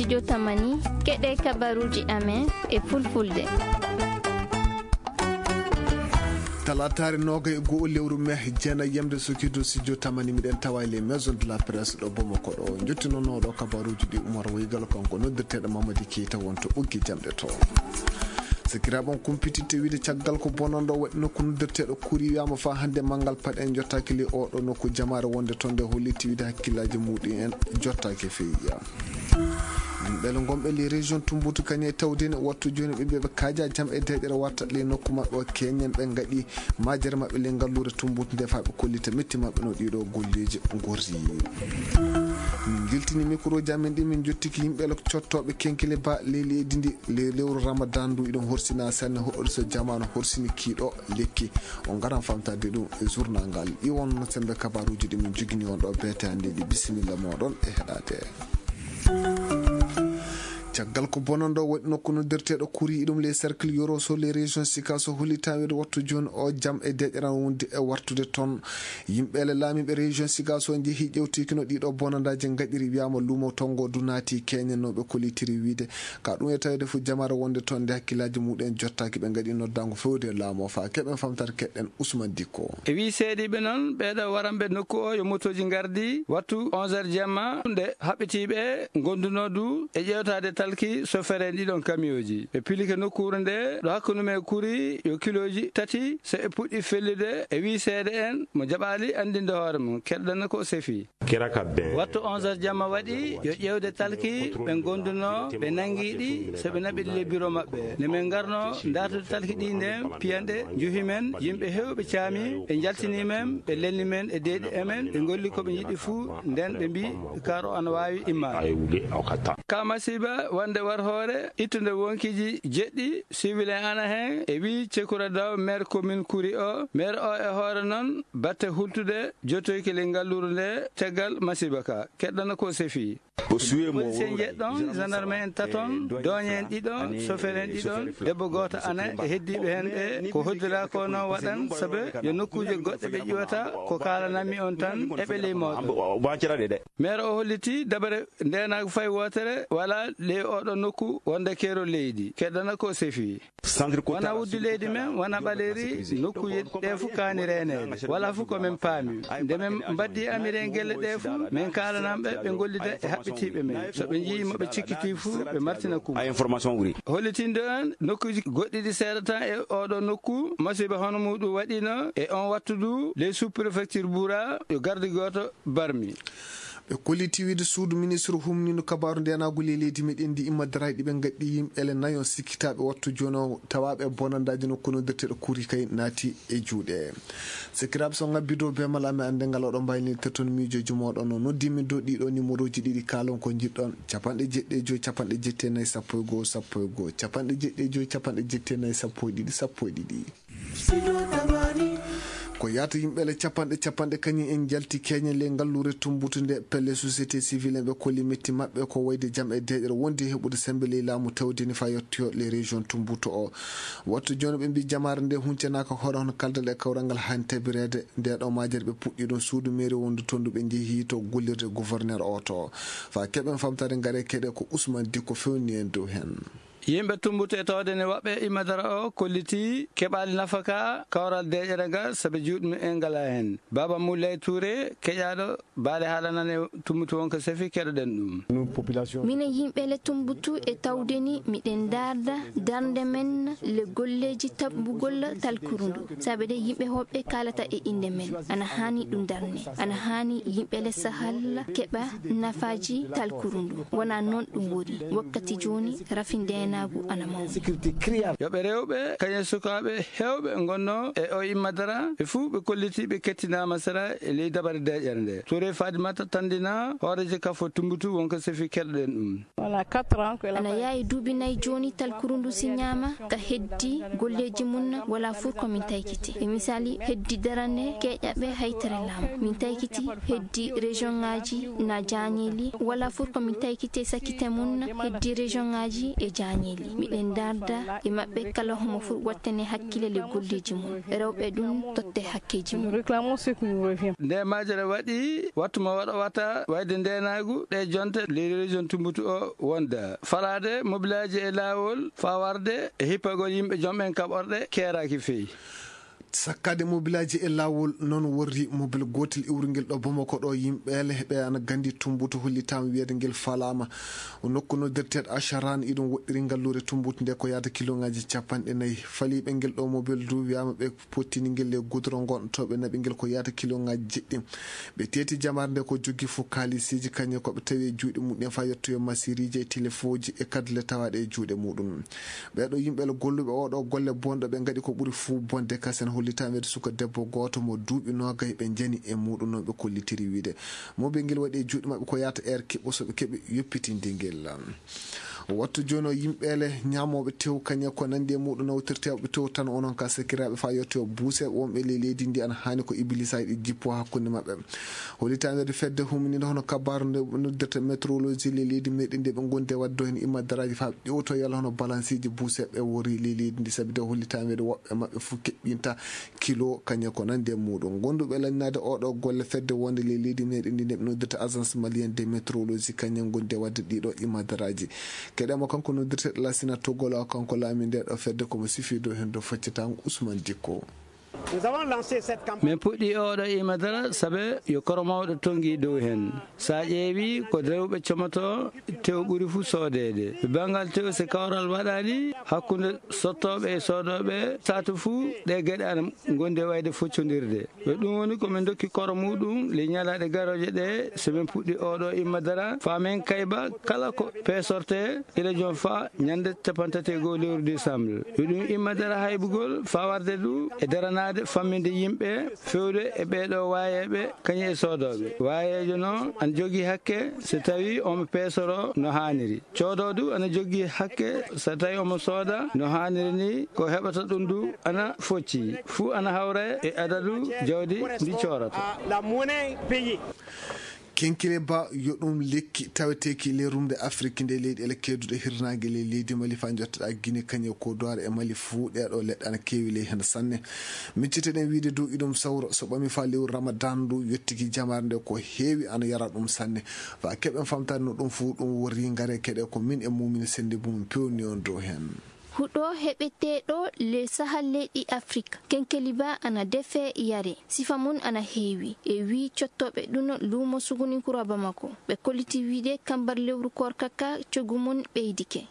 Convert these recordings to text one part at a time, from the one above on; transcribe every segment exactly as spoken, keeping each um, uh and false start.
Studio Tamani, keɗe kabaruuji amen e fulfulde. Talaataare noogay e go'o lewru me, jeenay yamde sokirdu Studio Tamani, miɗen tawa e les maisons de la presse ɗo Bamako ɗo. Njottinono ɗo kabaruuji ɗi Umar Waygal, kanko noddirteeɗo Mamadi Keita wonto ɓoggi jamɗe to. Sakiraaɓe on kumpititte wiide caggal ko bonanɗo waɗi nokku noddirteeɗo Kuri wiyaama faa hannde manngal paɗe en jottaaki le oɗo nokku jamaare wonde toon nde hollitti wiide hakkillaaji muɗum en jottaaki feeya. Yimɓe le ngonɓe le région Tumbutu kañe tawde ne wattu jooni ɓe mbiya ɓe kaaja jam e deeƴere watta le nokku maɓɓe o keñen ɓe ngaɗi majere maɓɓe le ngalluure Tumbutu nde faa ɓe kollita metti maɓɓe no ɗiɗo golleeji ngorri. Min giltini micro ji amen ɗi min jottiki yimɓe le cottooɓe kenkile ba le leydi ndi le lewru Ramadan ndu iɗon horsina sanne hoɗɗo so jamaanu horsini kiiɗo lekki. On ngaran famtade ɗum e journal ngal. Ɗi wonno sembe kabaruuji ɗi min jogini on ɗo beete hannde ɗi. Bisimilla mooɗon e heɗaade. Caggal ko bonanɗo waɗi nokku noddirteeɗo Kuri ɗum les cercles Yoro so les régions Sika so hollitaa wiide wattu jooni o jam e deƴƴeran wonde e wartude toon. Yimɓe le laamiiɓe région Sika so njehi ƴewtiki no ɗiɗo bonandaaji ngaɗiri wiyaama luumo tongo du naati keñenooɓe kollitiri wiide ka ɗum e tawede fof jamaare wonde toon nde hakkillaaji muɗum en jottaaki ɓe ngaɗi noddaango fewde laamu o faa keɓen famtare keɗɗen Ousmane Dikko. E wii seediiɓe noon, ɓeeɗo waranɓe nokku o yo motooji ngardi wattu onze heures jamma, nde haɓɓitiiɓe ngondunoo du e ƴeewtaade talki sofere en ɗiɗon kamiyooji. Ɓe pilike nokkuure nde ɗo hakkunde men Kuri yo kilooji tati so e puɗɗi fellude e wii seede en mo jaɓaali anndinde hoore mum, keɗɗana ko o sefi. Kira ka ben. Wattu onze heures jamma waɗi, yo ƴeewde talki ɓe ngondunoo, ɓe nanngi ɗi, so ɓe naɓi ɗi le bureau maɓɓe. Nde min ngarnoo ndaartude talki ɗi nden, piyanɗe, njuhi men, yimɓe heewɓe caami, ɓe njaltini men, ɓe lelni men e deeƴi amen, ɓe ngolli ko ɓe njiɗi fuu, nden ɓe mbii, kaar o ana waawi immaade. Ay wuli o ka ta. Ka masiiba wonde war hoore, ittude wonkiiji jeɗɗi, civil en ana heen, e wii Cekura Daw, maire commune Kuri o, maire o e hoore noon, batte hultude, jotoyki le ngalluure nde, caggal masiiba ka, keɗɗana ko sefi. Police en jeɗɗon, gendarme en taton, dooñe en ɗiɗon, sofere en ɗiɗon, debbo gooto ana e heddiiɓe heen ɓe, ko hoddira ko no waɗan, sabu yo nokkuuje goɗɗe ɓe ƴiwata, ko kaalananmi on tan, eɓe ley mooɗon. Maire o holliti dabare ndeenaagu fay wootere, wala ley oɗo nokku wonde keerol leydi, keɗɗana ko sefi. Wona wuddu leydi men, wona ɓaleeri, nokkuuje ɗe fof kaani reeneede. Wala fof ko men paami. Nde men mbaddi amiren gelle ɗe fof, men kaalananɓe ɓe ngollida e haɓɓitiiɓe men. So ɓe njii mo ɓe cikkitii fof, ɓe martina kum. Hollitinde en nokkuuji goɗɗi ɗi seedata e oɗo nokku, masiiba hono muɗum waɗino e on wattu du, les sous-préfecture Boura, yo garde gooto barmi. Ɓe kolliti wiide suudu ministre humniiɗo kabaaru ndeenaagu ley leydi meɗen ndi imma darayɗi ɓe ngaɗɗi yimɓe ele nayo sikkitaaɓe wattu jooni o tawaaɓe e bonandaaji nokku noddirteeɗo Kuri kay naati e juuɗe. Sekiraaɓe so ngabbi dow be mala amen annde ngal oɗo mbayni tetton miijooji mooɗon o noddi min dow ɗiɗo numéroji ɗiɗi kaalon ko njiɗɗon capanɗe jeɗɗi e joyi capanɗe jetti e nayi sappo e goo sappo e goo capanɗe jeɗɗi e joyi capanɗe jetti e nayi sappo e ɗiɗi sappo e ɗiɗi. Ko yaata yimɓe le capanɗe capanɗe kañum en njalti keñe le ngalluure Tumbutu nde pelle société civile en ɓe kolli metti maɓɓe ko wayde jam e deeƴere wondi heɓude sembe ley laamu tawdini fa yettoyo le région Tumbutu o. Wattu jooni ɓe mbi jamaare nde huncanaaka hoore hono kaldal e kawral ngal hani tabireede nde ɗo majere ɓe puɗɗi ɗum suudu mairie wondu tondu ɓe njehi to gollirde gouverneur o to fa keɓen famtare ngare keɗe ko Ousmane Dikko fewni en dow hen. Yimɓe Tumbutu e tawde ne waɓɓe Imadara o kolliti keɓaali nafaka kawral deeƴere ngal sabu juuɗe mumen ngala heen. Baaba Moulay Touré, keƴaaɗo baale haala nan e Tumbutu wonko sefi, keɗoɗen ɗum. Minen yimɓe le Tumbutu e tawde ni miɗen darda darnde men le golleeji taɓɓugol talkuru ndu. Sabu de yimɓe hoɓɓe kaalata e innde men. Ana haani ɗum darne. Ana haani yimɓe le sahal keɓa nafaaji talkuru ndu. Wona noon ɗum woni. Wakkati jooni rafi ndeenaagu ana mawni. Yo ɓe rewɓe, kañum sukaaɓe heewɓe ngonnoo e o Imadara, ɓe fuu ɓe kolliti ɓe kettinaama sera e ley dabare deeƴere nde. Touré Fadimata Tandina, hooreejo kafo Tumbutu wonko sefi, keɗoɗen ɗum. Ana yaawi duuɓi nayi jooni talkuru ndu siñaama ka heddi golleeji mum wala fuu ko min taykiti. E misaali heddi darande keeƴaɓe haytere laamu. Min taykiti heddi région ŋaaji na jaañeeli wala fuu ko min taykiti sakkite mum heddi région ŋaaji e jaañeeli. Miɗen ndaarda e maɓɓe kala homo fuu wattane hakkille le golleeji mum. Rewɓe ɗum totte hakkeeji mum. Nde majere waɗi, wattu mo waɗa wata wayde ndeenaagu ɗe jonte leydi région Tumbutu o wonda. Falaade mobilaaji e laawol faa warde e hippagol yimɓe jom en kaɓorɗe keeraaki feyi. Sakkaade mobilaaji e laawol noon worri mobil gootel iwrungel ɗo Bamako ɗo yimɓeele ɓe ana gandi Tumbutu hollitaama wiyeede ngel falaama. Nokku noddirteeɗo Acharan iɗum woɗɗiri ngalluure Tumbutu nde ko yaata kiloŋaaji capanɗe nayi. Faliiɓe ngel ɗo mobil du wiyaama ɓe pottini ngel e gudoro ngon to ɓe naɓi ngel ko yaata kiloŋaaji jeɗɗi. Ɓe teeti jamaare nde ko joggi fof kaalisiji kañum ko ɓe tawi e juuɗe muɗum faa yettoyo masiriji e telefooji e kadle tawaaɗe e juuɗe muɗum. Ɓeeɗo yimɓe le golluɓe oɗo golle bonɗo ɓe ngaɗi ko ɓuri fuu bonde kasen hollitaama wiyeede suka debbo gooto mo duuɓi noogay ɓe njani e muɗum noon ɓe kollitiri wiide. Mobil ngel waɗi e juuɗe maɓɓe ko yaata heure kiɓɓo so ɓe keɓi yoppitinde ngel. Wattu jooni o yimɓeele ñaamooɓe tew kañe ko nanndi e muɗum nawtirteeɓe tew tan onon ka sakiraaɓe faa yettoyo buuseeɓe wonɓe ley leydi ndi ana haani ko ibilisa e ɗi jippo hakkunde maɓɓe. Hollitaama wiyeede fedde humniinde hono kabaaru nde noddirta météorologie ley leydi meɗen nde ɓe ngondi e waɗde heen immadaraaji faa ƴewto yalla hono balansiiji buuseeɓe worri ley leydi ndi sabi de hollitaama wiyeede woɓɓe maɓɓe fof keɓɓinta kilo kañum ko nanndi e muɗum. Gonduɓe lannaade oɗo golle fedde wonde ley leydi meɗen ndi nde ɓe noddirta agence malienne de météorologie kañum gondi e waɗde ɗiɗo immadaraaji. Keɗemo kanko noddirteɗo Lasina Togolo kanko laami nde ɗo fedde komo sifi dow heen dow faccitango Ousmane Dikko. Min puɗɗi oɗo imadara sabe yo koro mawɗo tongi dow heen. Sa ƴeewi ko rewɓe comoto tew ɓuri fuu soodeede. Banngal tew se kawral waɗaani hakkunde sottooɓe e soodooɓe saatu fuu ɗe geɗe ana ngondi wayde foccondirde. Ko ɗum woni ko min dokki koro muɗum le ñalaaɗe garooje ɗe so min puɗɗi oɗo imadara faa min kayba kala ko peesorte ila jom faa ñande capantate goo lewru décembre. Yo ɗum immade ara haybugol faa warde du e daranaade famminde yimɓe fewde e ɓeeɗo waayeeɓe kañum e soodooɓe. Waayeejo noon ana jogii hakke so tawii omo peesoro no haaniri. Coodoo du ana jogii hakke so tawii omo sooda no haaniri ni, ko heɓata ɗum du ana focci. Fuu ana hawra e adadu jawdi ndi coorata. Kenkile ba yo ɗum lekki taweteeki ley rumde Afrik nde leyɗeele keeduɗe hirnaange ley leydi Mali faa njottoɗaa Gine kañe ko duwaare e Mali fuu ɗeeɗo leɗɗe ana keewi ley heen sanne. Micciteɗen wiide dow iɗum sawro so ɓami faa lewru Ramadan ndu yottiki jamaare nde ko heewi ana yara ɗum sanne. Faa keɓen famtaade no ɗum fuu ɗum worri ngare keɗe ko min e mumini sennde mum pewni on dow heen. Huɗo heɓeteeɗo le Sahal leyɗi Afrik, kenkeliba ana defe yare, sifa mum ana heewi, e wii cottooɓe ɗum luumo Suguninkura Bamako. Ɓe kolliti wiide kambar lewru koorka ka coggu mum ɓeydike.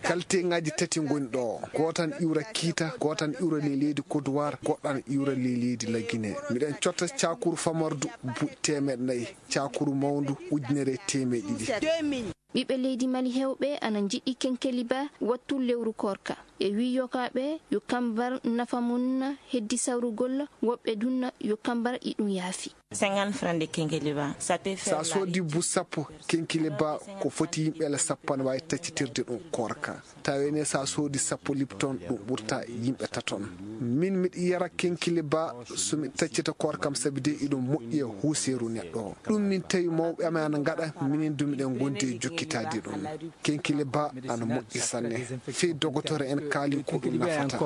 Kalteŋaaji tati ngoni ɗo, gootan iwra kiita, gootan iwra ley leydi Côte d'Ivoire, goɗɗan iwra ley leydi Lagine. Miɗen cotta caakuru famardu bu teemeɗe nayi, caakuru mawndu ujunere e teemeɗe ɗiɗi. Ɓiɓɓe leydi Mali heewɓe ana njiɗi kenkeliba wattu lewru koorka. E wii yokaaɓe yo kambar nafa mum heddi sawrugol, woɓɓe dunna yo kambar iɗum yaafi. Cinquante francs de kenkeliba, ça peut faire. Sa soodi bu sappo kenkeliba ko foti yimɓe le sappo ana waawi taccitirde ɗum koorka. Tawi ne sa soodi sappo Lipton ɗum ɓurta yimɓe taton. Min miɗo yara kenkeliba so mi taccita koorkam sabi de iɗum moƴƴi e huuseeru neɗɗo. Ɗum min tawi mawɓe amen ana ngaɗa, minen du miɗen ngondi e jokkitaade ɗum. Kenkeliba ana moƴƴi sanne. Fii dogotoro en kaali ko ɗum nafata.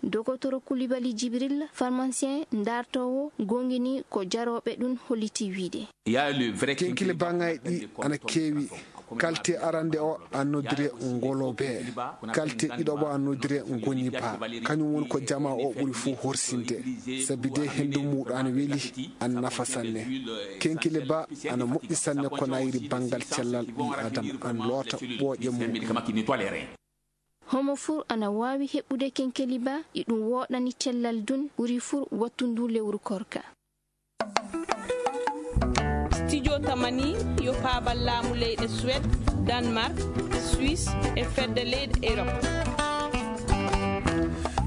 Dogotoro Kulibali Jibril, pharmacien ndaartoowo, goongini ko jarooɓe ɗum holliti wiide. Kenkeliba ŋaaji ɗi ana keewi. Kalte arande o ana noddire ngolobe. Kalte ɗiɗoɓo ana noddire ngoniba. Kañum woni ko jama o ɓuri fuu horsinde. Sabi de henndu muuɗum ana weli, ana nafa sanne. Kenkeliba ana moƴƴi sanne ko nayiri banngal cellal ɓii Aadama, ana loota ɓooƴe mum. Homo fuu ana waawi heɓude kenkeliba, iɗum wooɗani cellal dun, ɓuri fuu wattu ndu lewru koorka. Studio Tamani yo paabal laamu leyɗe Suède, Danemark, Suisse e fedde leyɗe Europe.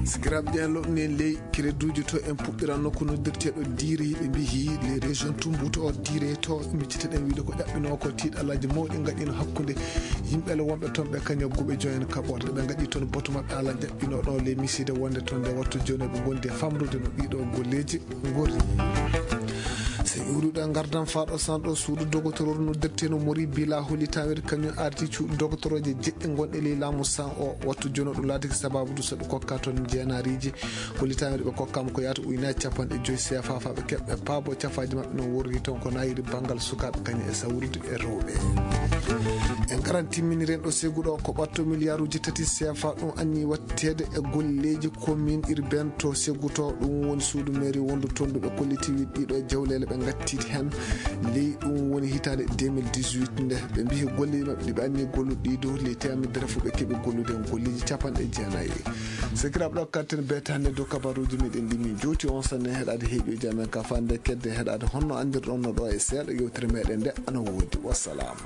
Sikiraaɓe ƴeen loɗɗunii en ley créditeuji to en puɗɗiranno ko noddirteeɗo Diire, ɓe mbiyi les régions Tumbutu o Diire to, micciteɗen wiide ko ƴaɓɓinoo ko tiiɗalaaji mawɗi ngaɗiino hakkunde yimɓe le wonɓe toon ɓe kañum e guɓe joyen kaɓorɗe. Ɓe ngaɗi toon batu maɓɓe ala ƴaɓɓinooɗo le miside wonde toon nde wattu jooni ɓe ngondi e famrude no ɗiɗo golleeji ngorri. E ƴuuruɗo e ngardam faaɗo sanɗo suudu dogotororu no derteno mori bila holitaweɗe kañum arti cuuɗi dogotoroje jeɗɗi gonɗe ley laamu san o wattu jono ɗum laatiki sababu du so ɓe kokka toon jeenaariji holitaweɗe ɓe kokkama ko yaata uyna capanɗe joyi sefa fa ɓe keɓɓe paabo cafaaji maɓɓe no worri toon ko nayiri banngal sukaaɓe kañum e sawrude e rewɓe. En ngaran timminiren ɗo segu ɗo ko ɓatto milliarduji tati sefa ɗum anni watteede e golleeji commune urbaine to segu to ɗum woni suudu mairie wondu tonduɓe kollitiwi ɗiɗo jawlele ɓe gattiti hen ley ɗum woni hitande deux mille dix-huit nde ɓe mbihi golleeji maɓɓe ɗiɓe anni golluɗo ɗiɗo ley temedere fof ɓe keɓi gollude hen golleeji capanɗe jeenayi. Sekiraɓe ɗo katten betande dow kabaruji meɗen ɗimi jowti on sanne heɗade heeƴoji amen ka fande kedde heɗade honno andirɗon no ɗo e seeɗa yewtere meɗen nde ana woodi. Wassalam.